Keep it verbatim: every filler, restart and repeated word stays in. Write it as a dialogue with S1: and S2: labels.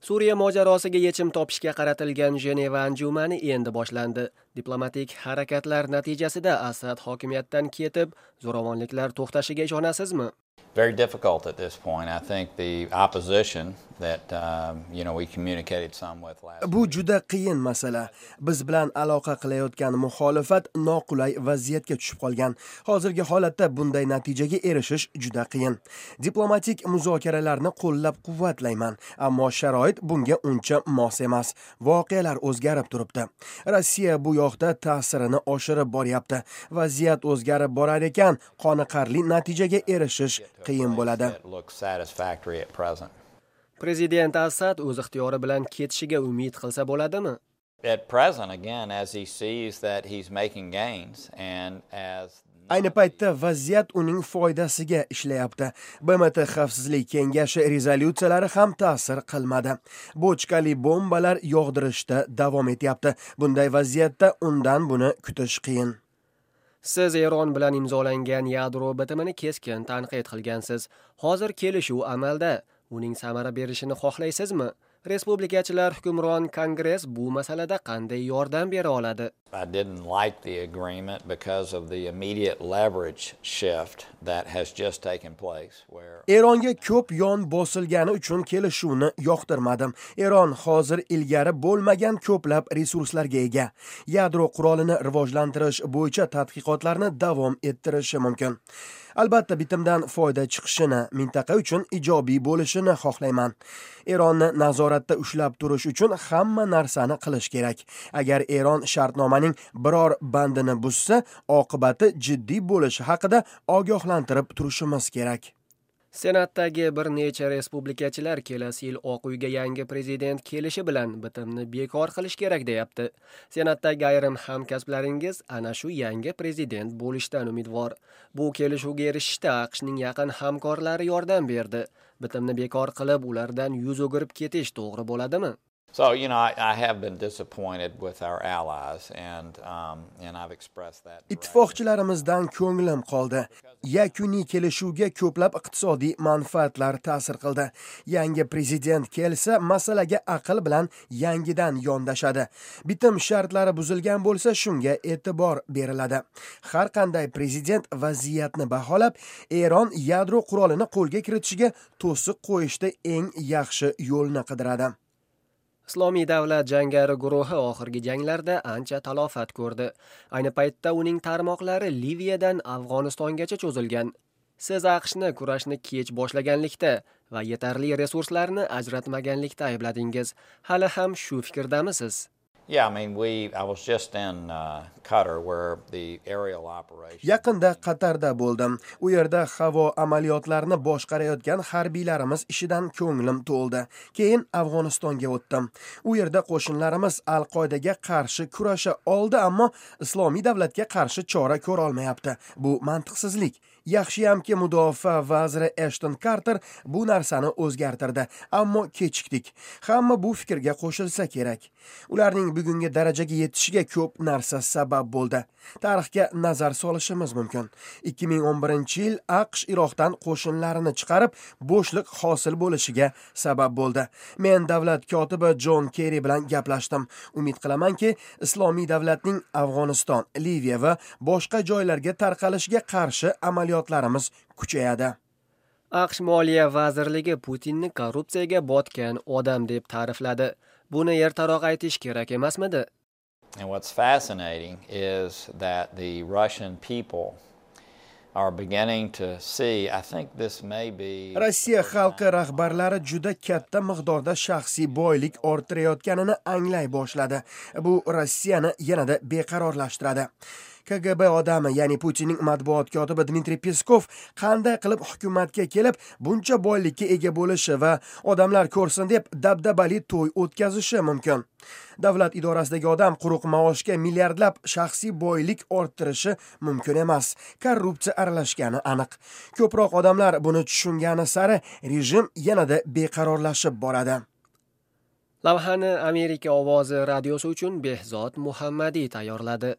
S1: Suriya mojarosiga yechim topishga qaratilgan Jeneva anjumani endi boshlandi. Diplomatik harakatlar natijasida Asad hokimiyatdan ketib, zo'ravonliklar to'xtashiga ishonasizmi?
S2: Very difficult at this point. I think the opposition that um, you know we communicated some with last
S3: Bu juda qiyin masala. Biz bilan aloqa qilayotgan muxolifat noqulay vaziyatga tushib qolgan. Hozirgi holatda bunday natijaga erishish juda qiyin. Diplomatik muzokaralarni qo'llab-quvvatlayman, ammo sharoit bunga uncha mos emas. Voqealar o'zgarib turibdi. Rossiya bu yoqda ta'sirini oshirib boryapti. Vaziyat o'zgarib borar ekan, qoniqarli natijaga erishish qiyin bo'ladi.
S2: That looks satisfactory at present.
S1: Prezident Asad o'z ixtiyori bilan ketishiga umid qilsa bo'ladimi?
S2: At present, again, as he sees that he's making gains and as
S3: Ayni paytda vaziyat uning foydasiga ishlayapti. B M T Xavfsizlik kengashi rezolyutsiyalari ham ta'sir qilmadi. Bochkali bombalar yog'dirishda davom etyapti. Bunday vaziyatda undan buni kutish qiyin.
S1: Siz Eron bilan imzolangan yadro bitimini keskin tanqid qilgansiz. Hozir kelishuv amalda. Uning samara berishini xohlaysizmi? Respublikachilar hukmron Kongress bu masalada qanday yordam bera oladi?
S2: I didn't like the agreement because of the immediate leverage shift that has just taken place where
S3: Eronga ko'p yon bosilgani uchun kelishuvni yoqtirmadim. Eron hozir ilgari bo'lmagan ko'plab resurslarga ega. Yadro qurolini rivojlantirish bo'yicha tadqiqotlarni davom ettirishi mumkin. Albatta, bitimdan foyda chiqishini, mintaqa uchun ijobiy bo'lishini xohlayman. Eronni nazoratda ushlab turish uchun hamma narsani qilish kerak. Agar Eron shartnomaning biror bandini buzsa, oqibati jiddiy bo'lishi haqida ogohlantirib turishimiz kerak.
S1: Senatdagi bir necha respublikachilar kelasi yil Oq uyga yangi prezident kelishi bilan bitimni bekor qilish kerak deyapti. Senatdagi ayrim hamkasblaringiz ana shu yangi prezident bo'lishdan umidvor. Bu kelishuvga erishishda A Q Shning yaqin hamkorlari yordam berdi. Bitimni bekor qilib, ulardan yuz o'girib ketish to'g'ri bo'ladimi?
S2: So, you know, I, I have been disappointed with our allies, and um, and I've expressed that directly.
S3: Ittifoqchilarimizdan ko'nglim qoldi. Yakuniy kelishuvga ko'plab iqtisodiy manfaatlar ta'sir qildi. Yangi prezident kelsa, masalaga aql bilan yangidan yondashadi. Bitim shartlari buzilgan bo'lsa, shunga e'tibor beriladi. Har qanday prezident vaziyatni baholab, Eron yadro qurolini qo'lga kiritishiga to'siq qo'yishda eng yaxshi yo'lni qidiradi.
S1: Islomiy davlat jangari guruhi oxirgi janglarda ancha talofat ko'rdi. Ayni paytda uning tarmoqlari Liviyadan Afg'onistongacha cho'zilgan. Siz A Q Shni kurashni kech boshlaganlikda va yetarli resurslarni ajratmaganlikda aybladingiz. Hali ham shu fikrdamisiz?
S2: Yeah, I mean, we. I was just in uh, Qatar, where the aerial operation.
S3: Yaqinda Qatarda bo'ldim. U yerda havo amaliyotlarini boshqarayotgan harbiylarimiz ishidan ko'nglim to'ldi. Keyin Afg'onistonga o'tdim. U yerda qo'shinlarimiz Al-Qoidaga qarshi kurasha oldi, ammo Islomiy davlatga qarshi chora ko'ra olmayapti. Bu mantiqsizlik. Yaxshiyamki, mudofaa vaziri Eshton Karter bu narsani o'zgartirdi, ammo kechikdik. Hamma bu fikrga qo'shilsa kerak. Ularning bugungi darajaga yetishiga ko'p narsa sabab bo'ldi. Tarixga nazar solishimiz mumkin. ikki ming o'n birinchi yil A Q Sh Iroqdan qo'shinlarini chiqarib, bo'shliq hosil bo'lishiga sabab bo'ldi. Men davlat kotibi Jon Kerri bilan gaplashdim. Umid qilamanki, Islomiy davlatning Afg'oniston, Liviya va boshqa joylarga tarqalishiga qarshi amaliyotlarimiz kuchayadi.
S1: A Q Sh Moliya vazirligi Putinni korrupsiyaga botgan odam deb ta'rifladi. Buni ertaroq aytish kerak emasmidi?
S2: And what's fascinating is that the Russian people are beginning to see, I think this may be
S3: Rossiya xalqi rahbarlari juda katta miqdorda shaxsiy boylik orttirayotganini anglay boshladi. Bu Rossiyani yanada beqarorlashtiradi. K G B odami, ya'ni Putinning matbuot kotibi Dmitriy Peskov qanday qilib hukumatga kelib, buncha boylikka ega bo'lishi va odamlar ko'rsin deb dabdabali to'y o'tkazishi mumkin? Davlat idorasidagi odam quruq maoshga milliardlab shaxsiy boylik orttirishi mumkin emas. Korrupsiya aralashgani aniq. Ko'proq odamlar buni tushungani sari rejim yanada beqarorlashib boradi.
S1: Lavhani Amerika ovozi radiosi uchun Behzod Muhammadiy tayyorladi.